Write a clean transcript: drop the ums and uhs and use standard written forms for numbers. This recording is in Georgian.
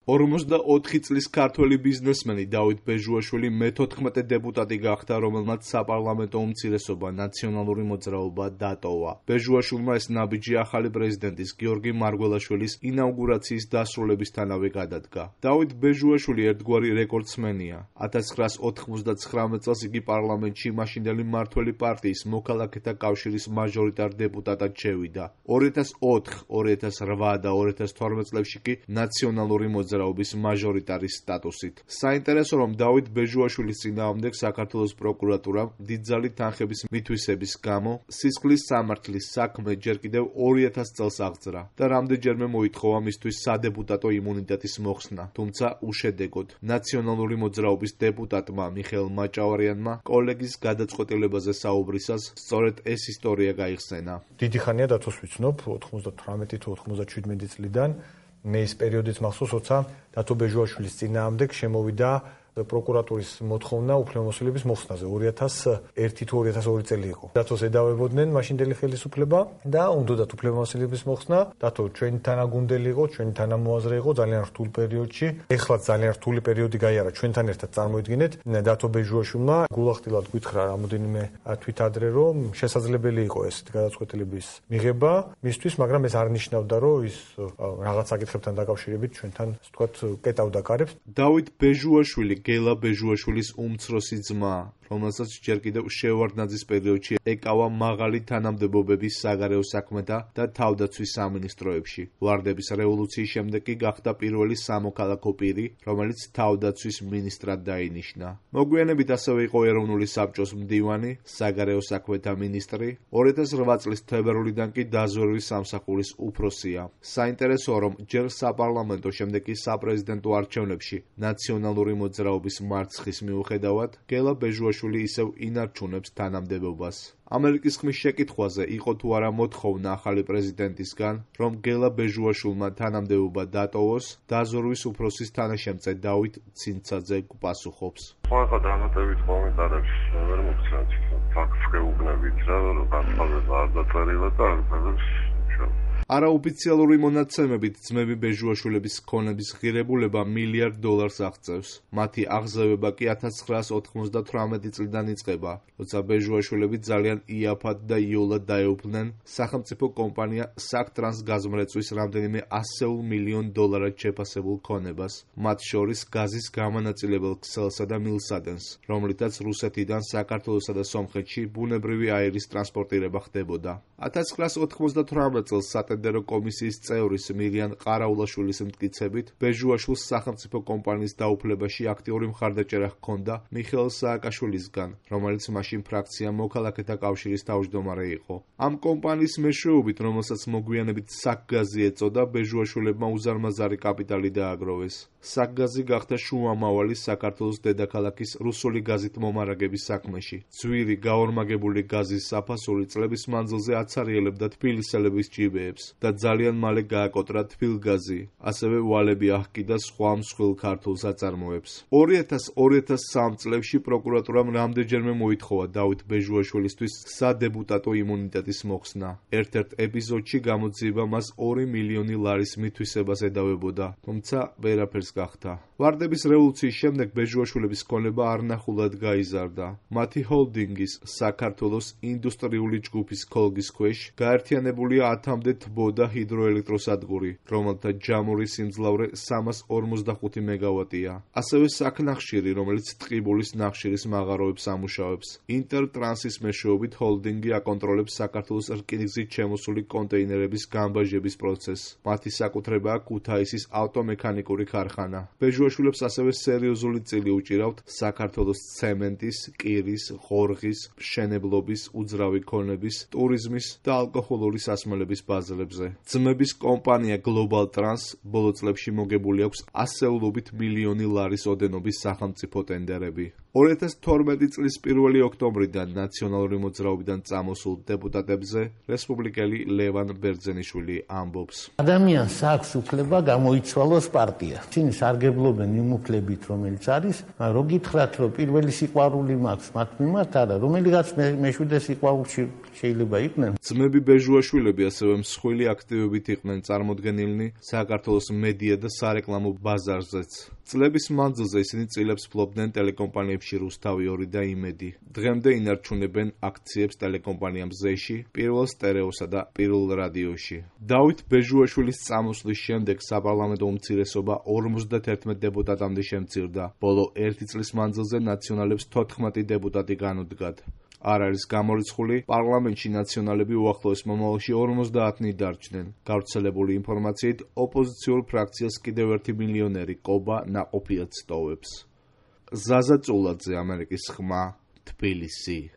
44 წლის ქართველი ბიზნესმენი დავით ბეჟუაშვილი მე-14 დეპუტატი გახდა, რომელმაც საპარლამენტო უმცირესობა ნაციონალური მოძრაობა დატოვა. ბეჟუაშვილმა ეს ნაბიჯი ახალი პრეზიდენტის გიორგი მარგველაშვილის ინაუგურაციის დასრულებისთანავე გადადგა. დავით ბეჟუაშვილი ერთგვარი რეკორდსმენია. 1999 წელს იგი პარლამენტში მაშინდელი მმართველი პარტიის მოქალაქეთა კავშირის მაჟორიტარ დეპუტატად შევიდა. 2004, 2008 და 2012 წლებში კი ნაციონალური მოძრაობის მაჟორიტარის სტატუსით. საინტერესო, რომ დავით ბეჟუაშვილის წინააღმდეგ საქართველოს პროკურატურამ დიდძალი თანხების მითვისების გამო სისხლის სამართლის საქმე ჯერ კიდევ 2000 წელს აღძრა და რამდენჯერმე მოითხოვა მისთვის სადეპუტატო იმუნიტეტის მოხსნა, თუმცა უშედეგოდ. ნაციონალური მოძრაობის დეპუტატმა მიხეილ მაჭავარიანმა კოლეგის გადაწყვეტილებაზე საუბრისას სწორედ ეს ისტორია გაიხსენა. დიდი ხანია დათოს ვიცნობ 98 თუ 97 წლიდან. მე ის პერიოდიც მახსოვს, როცა დათო ბეჟუაშვილის წინააღმდეგ შემოვიდა პროკურატურის მოთხოვნა უფლებამოსილების მოხსნაზე. 2001 თუ 2002 წელი იყო. დათოს ედავებოდნენ მაშინდელი ხელისუფლება და უნდათ უფლებამოსილების მოხსნა. დათო ჩვენი თანაგუნდელი იყო, ჩვენი თანამოაზრე იყო ძალიან რთულ პერიოდში. ეხლაც ძალიან რთული პერიოდი გაიარა ჩვენთან ერთად წარმოიდგინეთ. დათო ბეჟუაშვილმა გულახდილად გითხრა რამოდენიმე თვით ადრე, რომ შესაძლებელი იყო ესეთი გადაწყვეტილების მიღება მისთვის, მაგრამ ეს არ ნიშნავდა, რომ ის რაღაც საკითხებთან დაკავშირებით ჩვენთან, ასე ვთქვათ, კეტავდა კარებს. დავით ბეჟუაშვილი გელა ბეჟუაშვილის უმცროსი ძმა, რომელსაც ჯერ კიდევ შევარდნაძის პერიოდში ეკავა მაღალი თანამდებობები საგარეო საქმეთა და თავდაცვის სამინისტროებში. ვარდების რევოლუციის შემდეგ კი გახდა პირველი სამოქალაქო პირი, რომელიც თავდაცვის მინისტრად დაინიშნა. მოგვიანებით ასევე იყო ეროვნული საბჭოს მდივანი, საგარეო საქმეთა მინისტრი, 2008 წლის თებერვლიდან კი დაზვერვის სამსახურის უფროსია. საინტერესოა, რომ ჯერ საპარლამენტო, შემდეგ კი საპრეზიდენტო არჩევნებში ნაციონალური მოძრაობის მარცხის მიუხედავად, გელა ბეჟუაშვილი ისევ ინარჩუნებს თანამდებობას. ამერიკის ხმის შეკითხვაზე იყო თუ არა მოთხოვნა ახალი პრეზიდენტისგან, რომ გელა ბეჟუაშვილმა თანამდებობა დატოვოს, დაზვერვის უფროსის თანაშემწე დავით ცინცაძე პასუხობს. ხვალ დამატებით კომენტარებში ვერ მოგცემთ ფაქტს გეუბნებით რა, რომ განსხვავება არ დაწერილა და არ წერს. არაოფიციალური მონაცემებით ძმები ბეჟუაშვილების ქონების ღირებულება $1 მილიარდ აღწევს. მათი აღზევება კი 1998 წლიდან იწყება, როცა ბეჟუაშვილები ძალიან იაფად და იოლად დაეუფლნენ სახელმწიფო კომპანია საქტრანს გაზმრეწვის რამდენიმე $100 მილიონ შეფასებულ ქონებას, მათ შორის გაზის გამანაწილებელ ქსელსა და მილსადენს, რომლითაც რუსეთიდან საქართველოსა და სომხეთში ბუნებრივი აირის ტრანსპორტირება ხდებოდა. 1998 წელს სატენდერო კომისიის წევრის მირიან ყარაულაშვილის მტკიცებით, ბეჟუაშვილს სახელმწიფო კომპანიის დაუფლებაში აქტიური მხარდაჭერა ჰქონდა მიხეილ სააკაშვილისგან, რომელიც მაშინ ფრაქცია მოქალაქეთა კავშირის თავმჯდომარე იყო. ამ კომპანიის მეშვეობით, რომელსაც მოგვიანებით საკგაზი ეწოდა, ბეჟუაშვილებმა უზარმაზარი კაპიტალი დააგროვეს. საკგაზი გახდა შუამავალი საქართველოს დედაქალაქის რუსული გაზით მომარაგების საქმეში. ძვირი გაორმაგებული გაზის საფასური წლების მანძილზე აცარიელებდა თბილისელების ჭიბეებს და ძალიან მალე გააკოტრა თბილგაზი, ასევე ვალები აჰკიდა სხვა მსხვილ ქართულ საწარმოებს. 2000-2003 წლებში პროკურატურამ რამდენჯერმე მოითხოვა დავით ბეჟუაშვილისთვის სადეპუტატო იმუნიტეტის მოხსნა. ერთ-ერთ ეპიზოდში გამოძიება მას $2 მილიონი მითვისებას ედავებოდა, თუმცა ვერაფერს გახდა. ვარდების რევოლუციის შემდეგ ბეჟუაშვილების ქონება არნახულად გაიზარდა. მათი ჰოლდინგის საქართველოს ინდუსტრიული ჯგუფის ქოლგის ქვეშ გაერთიანებულია 10-მდე თბო და ჰიდროელექტროსადგური, რომელთა ჯამური სიმძლავრე 345 მეგავატია. ასევე საქნახშირი, რომელიც ტყიბულის ნახშირის მაღაროებს ამუშავებს. ინტერტრანსის მეშვეობით ჰოლდინგი აკონტროლებს საქართველოს რკინიგზით შემოსული კონტეინერების გამბაჟების პროცესს. მათი საკუთრებაა ქუთაისის ავტომექანიკური ქარხანა. ბეჟუაშვილებს ასევე სერიოზული წილი უჭირავთ საქართველოს ცემენტის, კირის, ღორღის, მშენებლობის, უძრავი ქონების, ტურიზმის და ალკოჰოლური სასმელების ბაზრებზე. ძმების კომპანია Global Trans ბოლო წლებში მოგებული აქვს ასეულობით $1 მილიონი ოდენობის სახელმწიფო ტენდერები. 2012 წლის 1 ოქტომბრიდან ნაციონალური მოძრაობიდან წამოსულ დეპუტატებზე რესპუბლიკელი ლევან ბერძენიშვილი ამბობს. ადამიანს აქვს უფლება გამოიცვალოს პარტია. ისინი სარგებლობენ იმ უფლებით, რომელიც არის, რო გითხრათ, რომ პირველი სიყვარული მაქვს მათ მიმართ, არა, რომელიღაც მეშვიდე სიყვარულში შეიძლება იყვნენ. ძმები ბეჟუაშვილები ასევე მსხვილი აქტივობით იყვნენ წარმოდგენილნი საქართველოს მედია და სარეკლამო ბაზარზეც. წლების მანძილზე ისინი წილებს ფლობდნენ ტელეკომპანიებში რუსთავი 2 და იმედი. დღემდე ინარჩუნებენ აქციებს ტელეკომპანიამ ზეში, პირველ სტერეოსა და პირველ რადიოში. დავით ბეჟუაშვილის წამოსვლის შემდეგ საპარლამენტო უმცირესობა 51 დეპუტატამდე შემცირდა. ბოლო 1 წლის მანძილზე ნაციონალებს 14 დეპუტატი განუდგათ. არ არის გამორიცხული, პარლამენტში ნაციონალები უახლოეს მომავალში 50-ნი დარჩნენ. გავრცელებული ინფორმაციით, ოპოზიციურ ფრაქციას კიდევ 1 მილიონერი კობა ნაყოფიად სტოვებს. ზაზა წულაძე, ამერიკის ხმა, თბილისი.